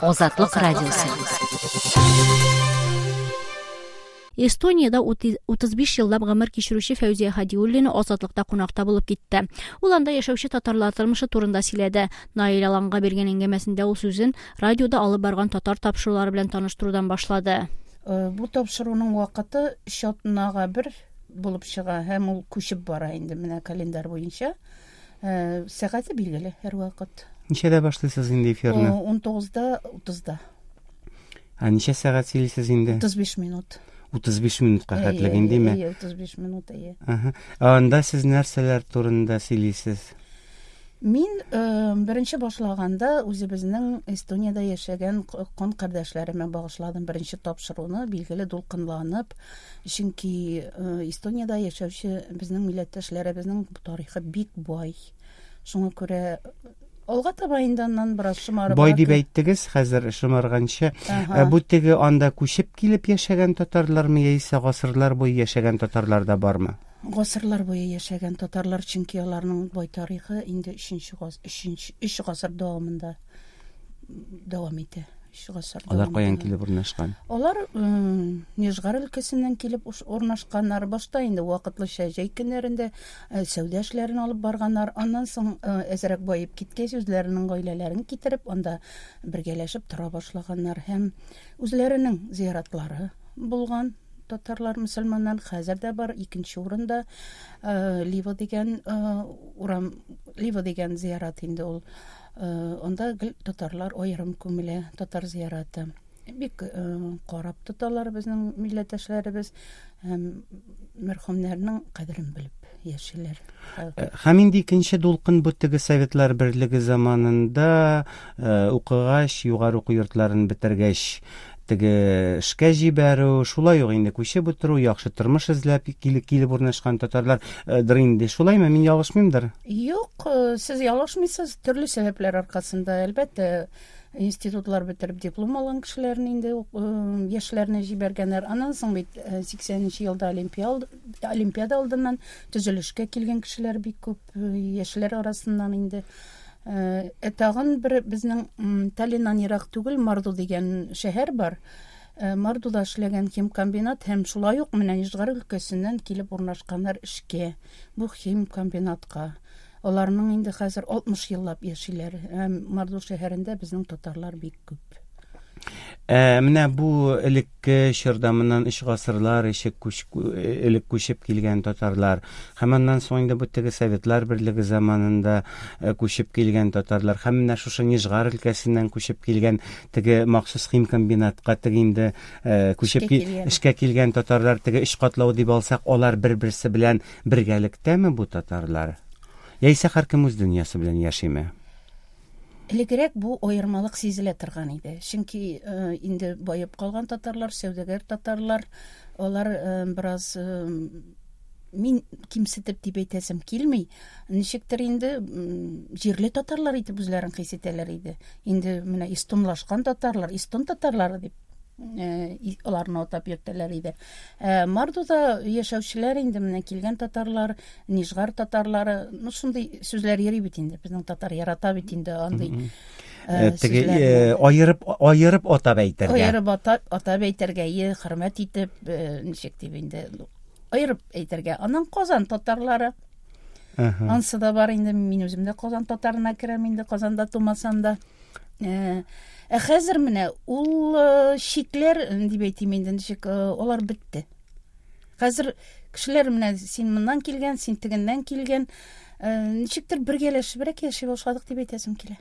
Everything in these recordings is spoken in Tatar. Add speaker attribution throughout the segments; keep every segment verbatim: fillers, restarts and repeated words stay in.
Speaker 1: Азатлык радиосы.
Speaker 2: Эстониядә утыз биш еллап гомер кичерүче Фәүзия Һадиуллина Азатлыкта кунакта булып китте. Ул анда яшәүче татарлар тормышы турында сөйләде. Наил Аланга биргән әңгәмәсендә ул сүзен радиода алып барган татар тапшырулары белән таныштырудан башлады.
Speaker 3: Бу тапшыруның вакыты өч атнага бер булып чыга һәм ул күчеп бара инде менә календарь буенча. Сәгате билгеле һәр вакыт.
Speaker 4: Ничәдә башлыйсыз инде эфирны?
Speaker 3: ун тугызда утызда.
Speaker 4: Ә ничә сәгать сөйлисез инде?
Speaker 3: утыз биш минут.
Speaker 4: утыз биш минутка хәтлек индеме?
Speaker 3: Әйе, утыз биш минут, әйе.
Speaker 4: Аһа. Анда сез нәрсәләр турында сөйлисез?
Speaker 3: Мин беренче башлаганда үзебезнең Эстониядә яшәгән кан кардәшләремә багышладым беренче тапшыруны, билгеле дулкынланып, чөнки Эстониядә яшәүче безнең милләттәшләребезнең тарихы бик бай. Шуңа күрә алга таба инде аннан бераз шомарып.
Speaker 4: Бай дип әйттегез, хәзер шомарганчы. Бу теге анда күчеп килеп яшәгән татарлармы яисә гасырлар буе яшәгән татарлар да бармы?
Speaker 3: Гасырлар буе яшәгән татарлар, чөнки аларның бай тарихы инде өченче гас-, өченче, өч гасыр дәвамында дәвам итә. Өч гасыр
Speaker 4: Алар каян
Speaker 3: дәвамында.
Speaker 4: килеп урнашкан?
Speaker 3: Алар, м, Нижгар өлкәсеннән килеп уш-, урнашканнар. Башта инде вакытлыча җәй көннәрендә, э, сәүдә эшләрен алып барганнар. Аннан соң, э, әзрәк баеп киткәч, үзләренең гаиләләрен китереп, анда бергәләшеп тора башлаганнар һәм үзләренең зияратлары булган. Татарлар, мөселманнар хәзер дә бар. Икенче урында, э, Лива дигән, э, урам, Лива дигән зиярат инде ул. Э, анда гел татарлар аерым күмелә, татар зияраты. Бик, э, карап тоталар безнең милләттәшләребез һәм мәрхүмнәрнең кадерен белеп яшиләр.
Speaker 4: Э, һәм инде икенче дулкын бу теге Советлар Берлеге заманында, э, укыгач, югары уку йортларын бетергәч, теге эшкә җибәрү, шулай ук инде күчеп утыру, яхшы тормыш эзләп килеп, килеп урнашкан татарлар, э, дыр инде. Шулаймы? Мин ялгышмыймдыр?
Speaker 3: Юк, э, сез ялгышмыйсыз. Төрле сәбәпләр аркасында, әлбәттә, институтлар бетереп диплом алган кешеләрне инде, э, яшьләрне җибәргәннәр. Аннан соң бит, э, сиксәненче елда олимпиада, олимпиада алдыннан төзелешкә килгән кешеләр бик күп, э, яшьләр арасыннан инде. Э, э, тагын бер безнең, м, Таллиннан ерак түгел Марду дигән шәһәр бар. Э, Мардуда эшләгән химкомбинат һәм шулай ук менә Нижгар өлкәсеннән килеп урнашканнар эшкә, бу химкомбинатка. Аларның инде хәзер алтмыш еллап яшиләр. Һәм Марду шәһәрендә безнең татарлар бик күп.
Speaker 4: Э, менә бу элекке чорда моннан өч гасырлар эче күч-, элек күчеп килгән татарлар һәм аннан соң инде бу теге Советлар Берлеге заманында, э, күчеп килгән татарлар һәм менә шушы Нижгар өлкәсеннән күчеп килгән теге махсус химкомбинатка теге инде, э, күчеп
Speaker 3: Эшкә
Speaker 4: ки-,
Speaker 3: килгән.
Speaker 4: эшкә килгән татарлар теге өч катлау дип алсак, алар бер-берсе белән бергәлектәме бу татарлар? Яисә һәркем үз дөньясы белән яшиме?
Speaker 3: Элегрәк бу аермалык сизелә торган иде. Чөнки, э, инде баеп калган татарлар, сәүдәгәр татарлар, алар, э, бераз, э, мин кимсетеп дип әйтәсем килми, ничектер инде, м, җирле татарлар итеп үзләрен хис итәләр иде. Инде менә эстонлашкан татарлар, эстон татарлары дип, э, и-, аларны атап йөртәләр иде. Э, Мардуда яшәүчеләр инде менә килгән татарлар, Нижгар татарлары, ну шундый сүзләр йөри бит инде. Безнең татар ярата бит инде андый,
Speaker 4: Мгм.
Speaker 3: э,
Speaker 4: Э, теге,
Speaker 3: сүзләрне.
Speaker 4: э, аерып, аерып атап әйтергә.
Speaker 3: Аерып атап, атап әйтергә, е, хөрмәт итеп, э, ничек дип инде, аерып әйтергә. Аннан Казан татарлары.
Speaker 4: Аһа.
Speaker 3: Ансы да бар инде, мин үзем дә Казан татарына керәм инде, Казанда тумасам да. Э, ә хәзер менә ул, э, чикләр, дип әйтим инде, ничек, э, алар бетте. Хәзер кешеләр менә син моннан килгән, син тегеннән килгән, э, ничектер бергәләшебрәк яши башладык дип әйтәсем килә.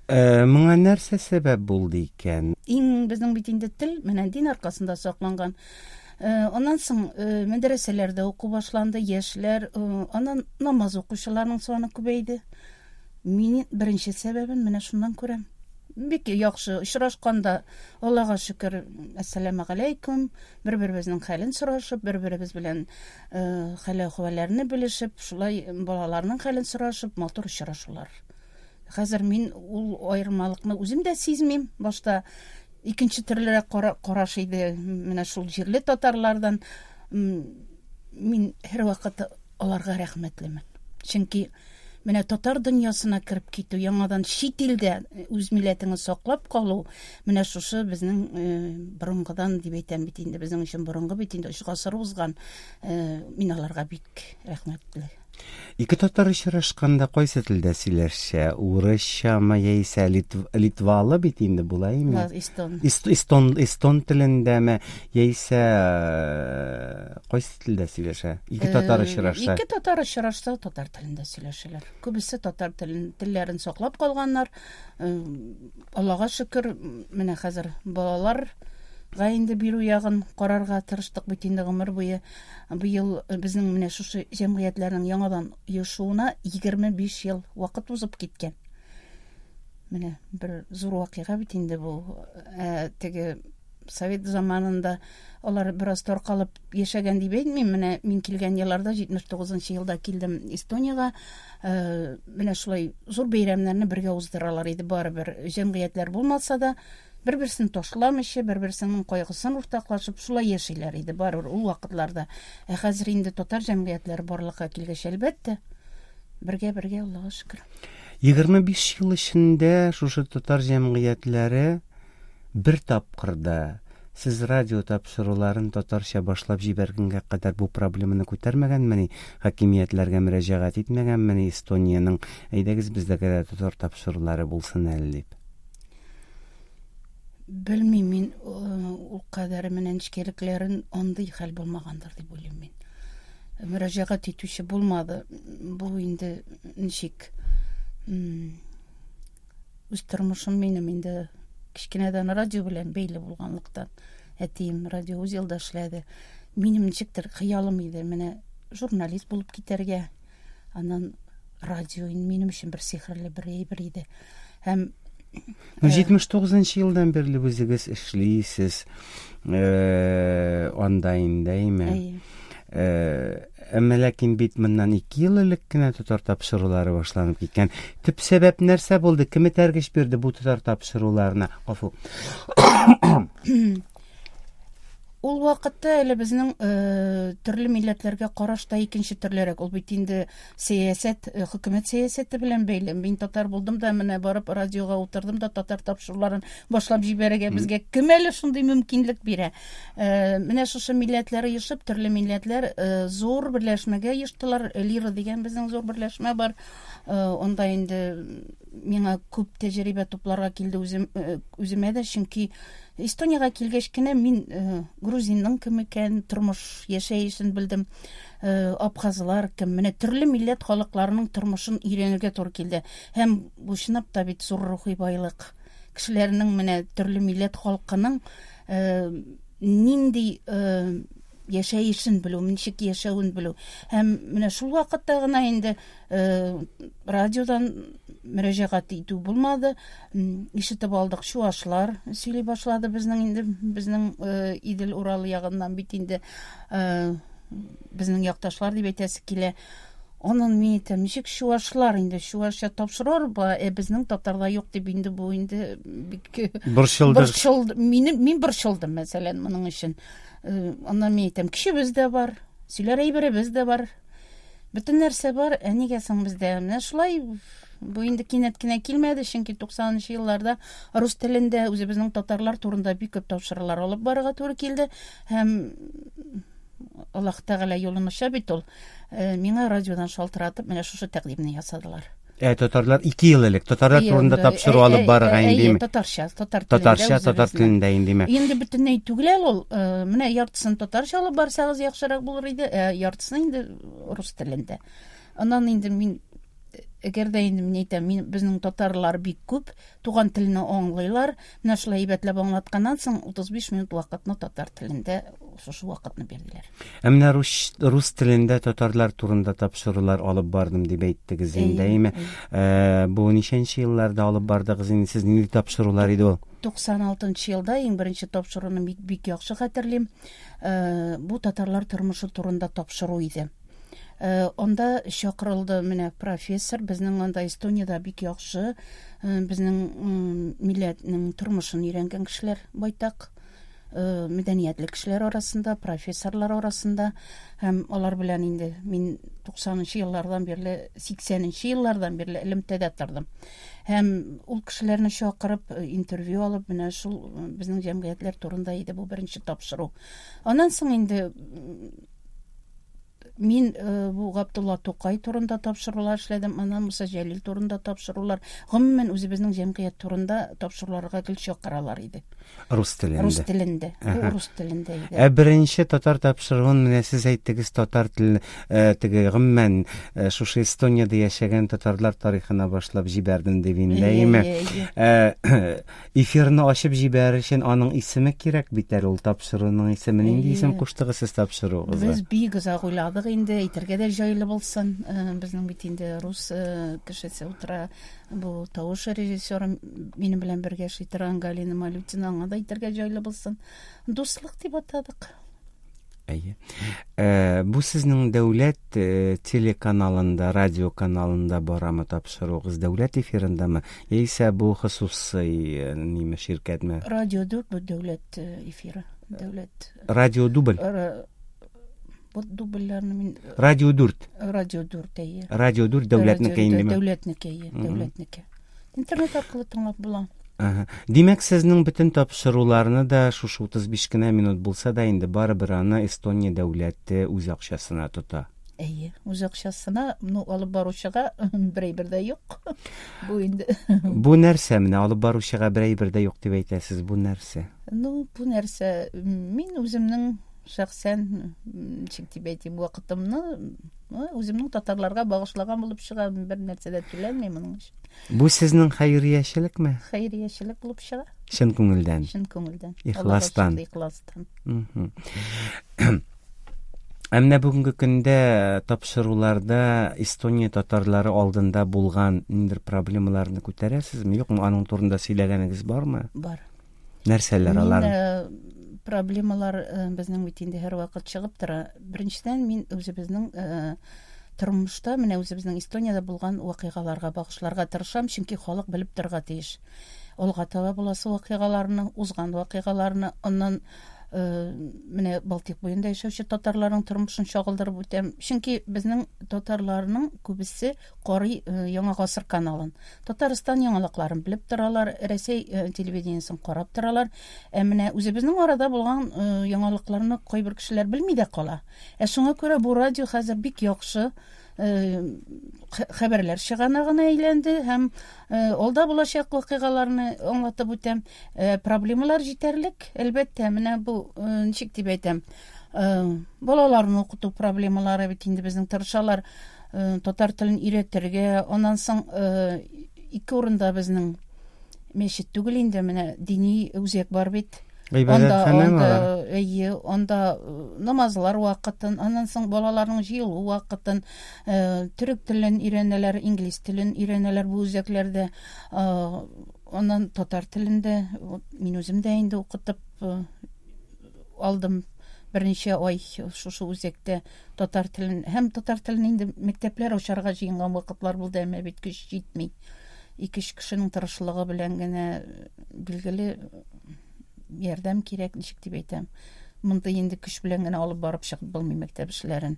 Speaker 4: Э, моңа нәрсә сәбәп булды икән?
Speaker 3: Иң безнең бит инде тел менә дин аркасында сакланган. Э, аннан соң, э, мәдрәсәләрдә уку башланды, яшьләр, э, аннан намаз укучыларның саны күбәйде. Мин беренче сәбәбен менә шуннан күрәм. Бик яхшы очрашканда, Аллага шөкер, әссәламү галәйкүм, бер-беребезнең хәлен сорашып, бер-беребез белән, э, хәл-әхвәлләрне белешеп, шулай балаларның хәлен сорашып, матур очрашулар. Хәзер мин ул аермалыкны үзем дә сизмим. Башта икенче төрлерәк кара-, караш иде менә шул җирле татарлардан. М, мин һәрвакыт аларга рәхмәтлемен. Чөнки Менә татар дөньясына кереп китү, яңадан чит илдә үз милләтеңне саклап калу, менә шушы безнең борынгыдан дип әйтәм бит инде, безнең өчен борынгы бит инде, өч гасыр узган. Мин аларга бик рәхмәтле.
Speaker 4: Ике татар очрашканда кайсы телдә сөйләшә? Урысчамы яисә литвалы бит инде булаймы?
Speaker 3: Эстон.
Speaker 4: Эстон, эстон телендәме яисә кайсы телдә сөйләшә? Ике татар очрашса.
Speaker 3: Ике татар очрашса татар телендә сөйләшәләр. Күбесе татар телен, телләрен саклап калганнар. Аллага шөкер, менә хәзер балалар га инде бирү ягын карарга тырыштык бит инде гомер буе. Быел безнең менә шушы җәмгыятьләрнең яңадан оешуына егерме биш ел вакыт узып киткән. Менә бер зур вакыйга бит инде бу. Ә, теге совет заманында алар бераз таркалып яшәгән дип әйтмим. Менә мин килгән елларда, җитмеш тугызынчы елда килдем Эстониягә. Ә, менә шулай зур бәйрәмнәрне бергә уздыралар иде барыбер. Җәмгыятьләр булмаса да, бер-берсен ташламыйча, бер-берсенең кайгысын уртаклашып шулай яшиләр иде барыбер ул вакытларда. Ә хәзер инде татар җәмгыятьләре барлыкка килгәч, әлбәттә, бергә-бергә, Аллага шөкер.
Speaker 4: Егерме биш ел эчендә шушы татар җәмгыятьләре бер тапкырда сез радио тапшыруларын татарча башлап җибәргәнгә кадәр бу проблеманы күтәрмәгәнмени, хакимиятләргә мөрәҗәгать итмәгәнмени Эстониянең, әйдәгез бездә дә татар тапшырулары булсын әле дип?
Speaker 3: Белмим мин, ул кадәр менә нечкәлекләрен андый хәл булмагандыр дип уйлыйм мин. Мөрәҗәгать итүче булмады. Бу инде ничек, үз тормышым минем инде кечкенәдән радио белән бәйле булганлыктан, әтием радиоузелда эшләде. Минем ничектер хыялым иде менә журналист булып китәргә. Аннан радио минем өчен бер сихерле бер әйбер иде. Һәм
Speaker 4: Ну, җитмеш тугызынчы елдан бирле үзегез эшлисез, э, анда инде, әйме?
Speaker 3: Әйе.
Speaker 4: Э, әмма ләкин бит моннан ике ел элек кенә татар тапшырулары башланып киткән. Төп сәбәп нәрсә булды? Кем этәргеч бирде бу татар тапшыруларына? Гафу.
Speaker 3: Ул вакытта әле безнең, э, төрле милләтләргә караш та икенче төрлерәк. Ул бит инде сәясәт, э, хөкүмәт сәясәте белән бәйле. Мин татар булдым да, менә барып радиога утырдым да татар тапшыруларын башлап җибәрергә безгә кем әле шундый мөмкинлек бирә? Э, менә шушы милләтләр оешып, төрле милләтләр, э, зур берләшмәгә оештылар. Лира дигән безнең зур берләшмә бар. Э, онда инде миңа күп тәҗрибә тупларга килде үзем, э, үземә дә, чөнки Эстониягә килгәч кенә мин, э, грузинның кем икән, тормыш яшәешен белдем, э, абхазлар кем, менә төрле милләт халыкларының тормышын өйрәнергә туры килде. Һәм бу чынлап та бит зур рухи байлык. Кешеләрнең менә төрле милләт халкының, э, нинди, э, яшәешен белү, ничек яшәвен белү. Һәм менә шул вакытта гына инде, э, радиодан мөрәҗәгать итү булмады. М, ишетеп алдык, чуашлар сөйли башлады безнең инде, безнең, э, Идел Урал ягыннан бит инде, э, безнең якташлар дип әйтәсе килә. Аннан мин әйтәм, ничек чуашлар инде, чуашча тапшырыр ба, ә безнең татарда юк дип инде бу инде бик
Speaker 4: Борчылды.
Speaker 3: Борчылды. Минем, мин борчылдым, мәсәлән, моның өчен. Э, аннан мин әйтәм, кешебез дә бар, сөйләр әйберебез дә бар. Бөтен нәрсә бар, ә нигә соң бездә? Менә шулай бу инде кинәт кенә килмәде, чөнки туксанынчы елларда рус телендә үзебезнең татарлар турында бик күп тапшырулар алып барырга туры килде. Һәм Аллаһ Тәгалә юлын ача бит ул. Э, миңа радиодан шалтыратып, менә шушы тәкъдимне ясадылар.
Speaker 4: Ә, татарлар ике ел элек татарлар
Speaker 3: Әйе,
Speaker 4: турында
Speaker 3: инде,
Speaker 4: тапшыру
Speaker 3: ә,
Speaker 4: алып
Speaker 3: ә,
Speaker 4: барырга
Speaker 3: ә,
Speaker 4: инде,
Speaker 3: әйе,
Speaker 4: димме?
Speaker 3: Татарча, татар телендә
Speaker 4: Татарча, татар
Speaker 3: үзебезнең.
Speaker 4: телендә инде, димме?
Speaker 3: Инде бөтенләй түгел әле ул. Э, менә яртысын татарча алып барсагыз яхшырак булыр иде, ә яртысын инде рус телендә. Аннан инде мин, әгәр дә инде мин әйтәм, мин, безнең татарлар бик күп, туган телне аңлыйлар. Менә шулай әйбәтләп аңлатканнан соң утыз биш минут вакытны татар телендә шушы вакытны бирделәр.
Speaker 4: Ә менә рус, рус телендә татарлар турында тапшырулар алып бардым дип әйттегез инде,
Speaker 3: Әйе,
Speaker 4: әйеме?
Speaker 3: әйе.
Speaker 4: Э, бу ничәнче елларда алып бардыгыз инде, сез нинди тапшырулар иде ул?
Speaker 3: Туксан алтынчы елда иң беренче тапшыруны бик, бик яхшы хәтерлим. Э, бу татарлар тормышы турында тапшыру иде. Э, анда чакырылды менә профессор, безнең анда Эстониядә бик яхшы, э, безнең, м, милләтнең тормышын өйрәнгән кешеләр байтак. мәдәниятле кешеләр арасында, профессорлар арасында, һәм алар белән инде мин туксанынчы еллардан бирле, сиксәненче еллардан бирле элемтәдә тордым. Һәм ул кешеләрне чакырып, интервью алып, менә шул безнең җәмгыятьләр турында иде бу беренче тапшыру. Аннан соң инде мин бу Габдулла Тукай турында тапшырулар эшләдем, аннан Муса Җәлил турында тапшырулар, гомумән үзебезнең җәмгыять турында тапшыруларга гел чакыралар иде.
Speaker 4: Рус телендә.
Speaker 3: Рус телендә. Бу рус телендә иде.
Speaker 4: Ә беренче татар тапшыруын менә сез әйттегез, татар теле теге гомумән шушы Эстониядә яшәгән татарлар тарихына башлап җибәрдем дип инде, әйеме? Эфирны ачып җибәрер өчен аның исеме кирәк бит әле, ул тапшыруның исеме. Нинди исем куштыгыз сез тапшыруыгызга?
Speaker 3: Без бик озак уйладык инде, әйтергә дә җайлы булсын. Безнең бит инде рус кешесе утыра, бу тавыш режиссеры минем белән бергә эшли торган Галина Малютина, аңа да әйтергә җайлы булсын. Дуслык дип атадык.
Speaker 4: Әйе. Бу сезнең дәүләт телеканалында, радио каналында барамы тапшыруыгыз, дәүләт эфирындамы, яисә бу хосусый ниме ширкәтме?
Speaker 3: Радио дүрт бу дәүләт эфиры, дәүләт.
Speaker 4: Радио дубль.
Speaker 3: Бу дубльләрне мин
Speaker 4: Радио дүрт.
Speaker 3: Радио дүрт, әйе.
Speaker 4: Радио дүрт дәүләтнеке индеме?
Speaker 3: Дәүләтнеке, әйе, дәүләтнеке. Интернет аркылы тыңлап була.
Speaker 4: Ага. Димәк, сезнең бөтен тапшыруларны да шушы утыз биш кенә минут булса да инде барыбер аны Эстония дәүләте үз акчасына тота.
Speaker 3: Әйе, үз акчасына, ну, алып баручыга бер әйбер дә юк. Бу инде.
Speaker 4: Бу нәрсә менә алып баручыга бер әйбер дә юк дип әйтәсез, бу нәрсә?
Speaker 3: Ну, бу нәрсә, мин үземнең шәхсән, ничек дип әйтим, вакытымны үземнең татарларга багышлаган булып чыга, бер нәрсә дә түләнми моның өчен.
Speaker 4: Бу сезнең хәйриячелекме?
Speaker 3: Хәйриячелек булып чыга.
Speaker 4: Чын күңелдән.
Speaker 3: Чын күңелдән.
Speaker 4: Ихластан.
Speaker 3: Ихластан.
Speaker 4: Ә менә бүгенге көндә тапшыруларда Эстония татарлары алдында булган ниндидер проблемаларны күтәрәсезме? Юкмы? Аның турында сөйләгәнегез бармы?
Speaker 3: Бар.
Speaker 4: Нәрсәләр алар?
Speaker 3: Проблемалар безнең бит инде һәрвакыт чыгып тора. Беренчедән, мин үзебезнең тормышта, менә үзебезнең Эстониядә булган вакыйгаларга багышларга тырышам, чөнки халык белеп торырга тиеш. Алга таба буласы вакыйгаларны, узган вакыйгаларны, аннан менә Балтик буенда яшәүче татарларның тормышын чагылдырып үтәм. Чөнки безнең татарларның күбесе карый Яңа гасыр каналын. Татарстан яңалыкларын белеп торалар, Рәсәй телевидениесен карап торалар. Ә менә үзебезнең арада булган яңалыкларны кайбер кешеләр белми дә кала. Ә шуңа күрә бу радио хәзер бик яхшы хәбәрләр чыганагына әйләнде һәм алда булачак вакыйгаларны аңлатып үтәм. Проблемалар җитәрлек, әлбәттә, менә бу ничек дип әйтәм, балаларны укыту проблемалары бит инде безнең тырышалар татар телен өйрәтергә. Аннан соң ике урында безнең мәчет түгел инде, менә дини үзәк бар бит.
Speaker 4: Анда,
Speaker 3: анда, әйе, анда намазлар вакытын, аннан соң балаларның җыелу вакытын, төрек телен өйрәнәләр, инглиз телен өйрәнәләр бу үзәкләрдә. Аннан татар телендә мин үзем дә инде укытып алдым берничә ай шушы үзәктә татар телен. Һәм татар телен инде мәктәпләр ачарга җыенган вакытлар булды, әмма бит көч җитми. Ике-өч кешенең тырышлыгы белән генә билгеле ярдәм кирәк, ничек дип әйтәм. Монда инде көч белән генә алып барып чыгып булмый мәктәп эшләрен.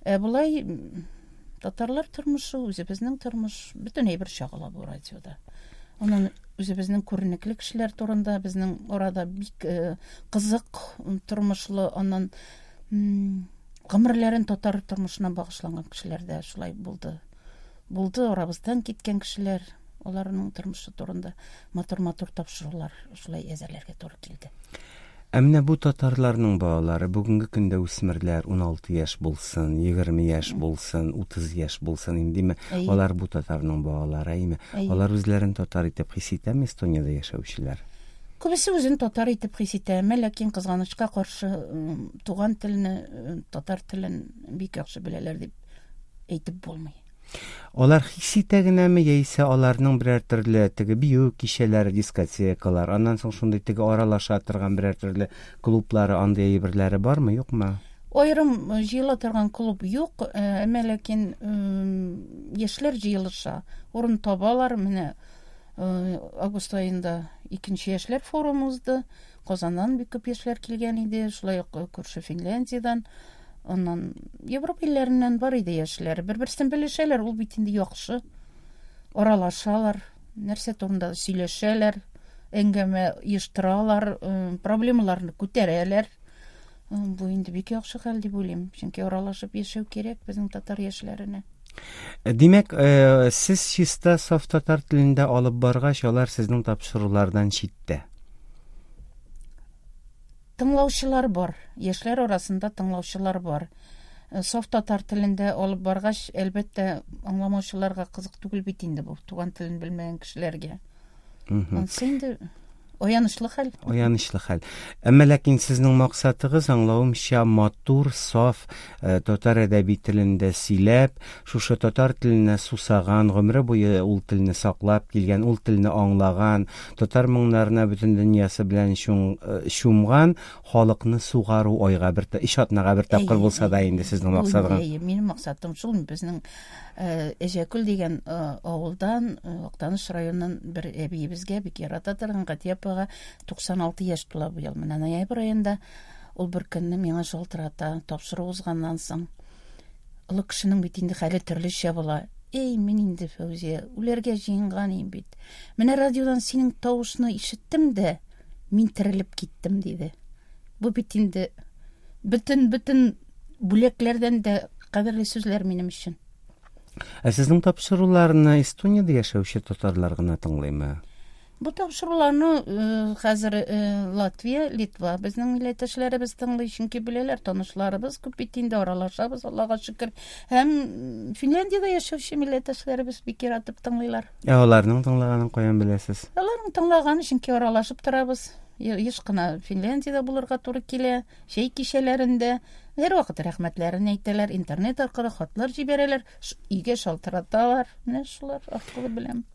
Speaker 3: Ә болай татарлар тормышы, үзебезнең тормыш, бөтен әйбер чагыла бу радиода. Аннан үзебезнең күренекле кешеләр турында, безнең арада бик кызык тормышлы, аннан гомерләрен татар тормышына багышланган кешеләр дә шулай булды. Булды арабыздан киткән кешеләр, аларның тормышы турында матур-матур тапшырулар шулай әзерләргә туры килде.
Speaker 4: Ә менә бу татарларның балалары бүгенге көндә үсмерләр ун алты яшь булсын, егерме яшь булсын, утыз яшь булсын индеме? Алар бу татарның балалары, әйме? Алар үзләрен татар итеп хис итәме Эстониядә яшәүчеләр?
Speaker 3: Күбесе үзен татар итеп хис итә, әмма ләкин кызганычка каршы туган телне, татар телен бик яхшы беләләр дип әйтеп булмый.
Speaker 4: Алар хис итә генәме, яисә аларның берәр төрле теге бию кичәләре, дискотекалар, аннан соң шундый теге аралаша торган берәр төрле клублары, андый әйберләре бармы, юкмы?
Speaker 3: Аерым җыела торган клуб юк, әмма ләкин яшьләр җыелыша, урын табалар. Менә Август аенда икенче яшьләр форумы узды. Казаннан бик күп яшьләр килгән иде, шулай ук күрше Финляндиядән, аннан Европа илләреннән бар иде яшьләр. Бер-берсен белешәләр, ул бит инде яхшы. Аралашалар, нәрсә турында сөйләшәләр, әңгәмә оештыралар, проблемаларны күтәрәләр. Бу инде бик яхшы хәл дип уйлыйм, чөнки аралашып яшәү кирәк безнең татар яшьләренә.
Speaker 4: Димәк, сез чиста саф татар телендә алып баргач, алар сезнең тапшырулардан читтә.
Speaker 3: Тыңлаучылар бар, яшьләр арасында тыңлаучылар бар. Саф татар телендә алып баргач, әлбәттә, аңламаучыларга кызык түгел бит инде бу, туган телен белмәгән кешеләргә. Ансы инде аянычлы хәл.
Speaker 4: Аянычлы хәл. Әмма ләкин сезнең максатыгыз, аңлавымча, матур, саф татар әдәби телендә сөйләп, шушы татар теленә сусаган, гомере буе ул телне саклап килгән, ул телне аңлаган, татар моңнарына бөтен дөньясы белән чумган халыкны сугару айга бер, өч атнага бер тапкыр булса да инде сезнең максатыгыз.
Speaker 3: Әйе, минем максатым шул. Безнең Әҗәкүл дигән авылдан, Актаныш районыннан бер әбиебезгә бик ярата торган Гатия апага туксан алты яшь тула быел. Менә ноябрь аенда ул бер көнне миңа шалтырата, тапшыру узганнан соң. Олы кешенең бит инде хәле төрлечә була. Эй, мин инде, Фәүзия, үләргә җыенган идем бит. Менә радиодан синең тавышны ишеттем дә, мин терелеп киттем, диде. Бу бит инде бөтен-бөтен бүләкләрдән дә кадерле сүзләр минем өчен.
Speaker 4: Ә сезнең тапшыруларны Эстониядә яшәүче татарлар гына тыңлыймы?
Speaker 3: Бу тапшыруларны хәзер Латвия, Литва безнең милләттәшләребез тыңлый, чөнки беләләр, танышларыбыз күп бит инде, аралашабыз, Аллага шөкер. Һәм Финляндиядә яшәүче милләттәшләребез бик яратып тыңлыйлар.
Speaker 4: Ә аларның тыңлаганын каян беләсез?
Speaker 3: Аларның тыңлаганы, чөнки аралашып торабыз. Еш кына Финляндиядә булырга туры килә, чәй кичәләрендә һәрвакыт рәхмәтләрен әйтәләр, интернет аркылы хатлар җибәрәләр, өйгә шалтыраталар. Менә шулар аркылы беләм.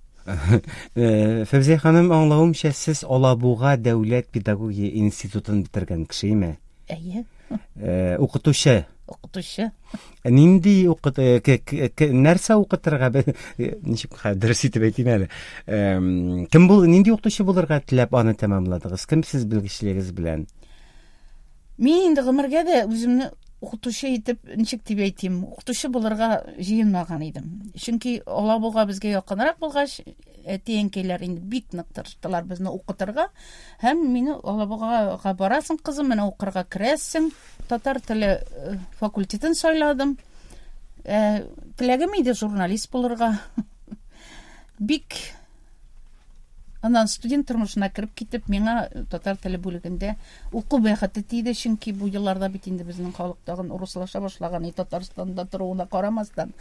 Speaker 4: Фәүзия ханым, аңлавымча, сез Алабуга дәүләт педагогия институтын бетергән кешеме?
Speaker 3: Әйе.
Speaker 4: Укытучы.
Speaker 3: Укытучы.
Speaker 4: Нинди укыт, нәрсә укытырга, ничек дөрес итеп әйтим әле? Кем бул, нинди укытучы булырга теләп аны тәмамладыгыз? Кем сез белгечлегегез белән?
Speaker 3: Мин инде гомергә дә үземне укытучы итеп, ничек дип әйтим, укытучы булырга җыенмаган идем. Чөнки Алабуга безгә якынрак булгач, әти-әнкәйләр инде бик нык тырыштылар безне укытырга. Һәм мине Алабугага барасың, кызым, менә укырга керәсең. Татар теле факультетын сайладым. Ә, теләгем иде журналист булырга. Бик аннан студент тормышына кереп китеп, миңа татар теле бүлегендә уку бәхете тиде, чөнки бу елларда бит инде безнең халык тагын урыслаша башлаган, и Татарстанда торуына карамастан,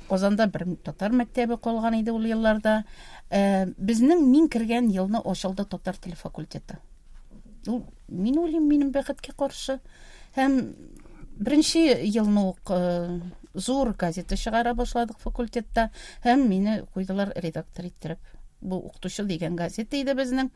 Speaker 3: Казанда бер татар мәктәбе калган иде ул елларда. Ә, безнең мин кергән елны ачылды татар теле факультеты. Ул, мин уйлыйм, минем бәхеткә каршы. Һәм беренче елны ук зур газета чыгара башладык факультетта, һәм мине куйдылар редактор иттереп. Бу укытучы дигән газета иде безнең.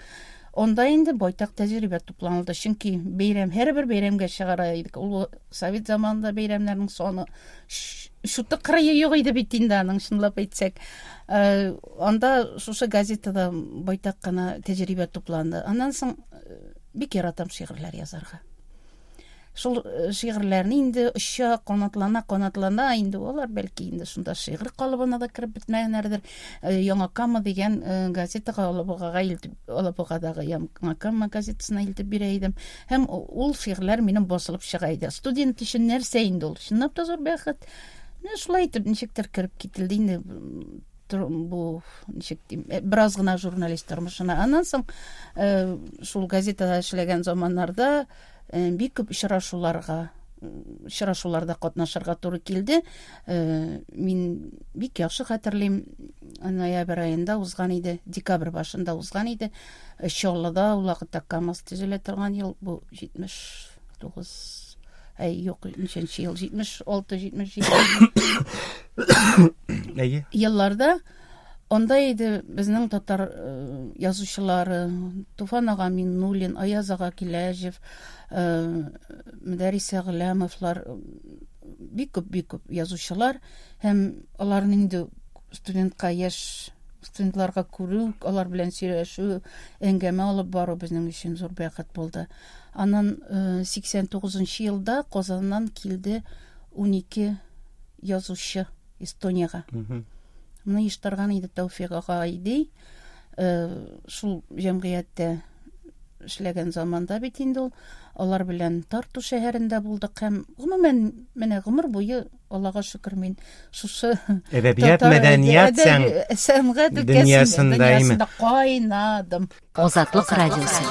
Speaker 3: Онда инде байтак тәҗрибә тупланылды, чөнки бәйрәм, һәрбер бәйрәмгә чыгара идек. Ул совет заманында бәйрәмнәрнең саны шуты кырые юк иде бит инде аның, чынлап әйтсәк. Анда шушы газетада байтак кына тәҗрибә тупланды. Аннан соң бик яратам шигырьләр язарга. Шул шигырьләрне инде оча, канатлана, канатлана инде алар бәлки инде шунда шигырь калыбына да кереп бетмәгәннәрдер. Яңа Кама дигән газетага Алабугага илтеп, Алабугадагы Яңа Кама газетасына илтеп бирә идем. Һәм ул шигырьләр минем басылып чыга иде. Студент өчен нәрсә инде ул? Чынлап та зур бәхет. Менә шулай итеп ничектер кереп кителде инде бу, ничек дим, бераз гына журналист тормышына. Аннан соң шул газетада эшләгән заманнарда бик күп очрашуларга, очрашуларда катнашырга туры килде. Мин бик яхшы хәтерлим, ноябрь аенда узган иде, декабрь башында узган иде. Чаллыда ул вакытта КАМАЗ төзелә торган ел, бу җитмеш тугыз, әй, юк, ничәнче ел, җитмеш алты, җитмеш җиде елларда. Онда иде безнең татар язучылары Туфан ага Миннуллин, Аяз ага Киләҗев, Мөдәррис Әгъләмовлар, бик күп, бик күп язучылар. Һәм аларны инде студентка, яшь Студентларга күрү, алар белән сөйләшү, әңгәмә алып бару безнең өчен зур бәхет булды. Аннан сиксән тугызынчы елда Казаннан килде унике язучы Эстониягә. Моны оештырган иде Тәүфик ага Айди. Шул җәмгыятьтә эшләгән заманда бит инде ул. Алар белән Тарту шәһәрендә булдык һәм гомумән менә гомер буе Аллага шөкер мин шушы
Speaker 4: әдәбият, мәдәният,
Speaker 3: сәнгать
Speaker 4: дөньясында
Speaker 3: кайнадым.
Speaker 1: Азатлык радиосы.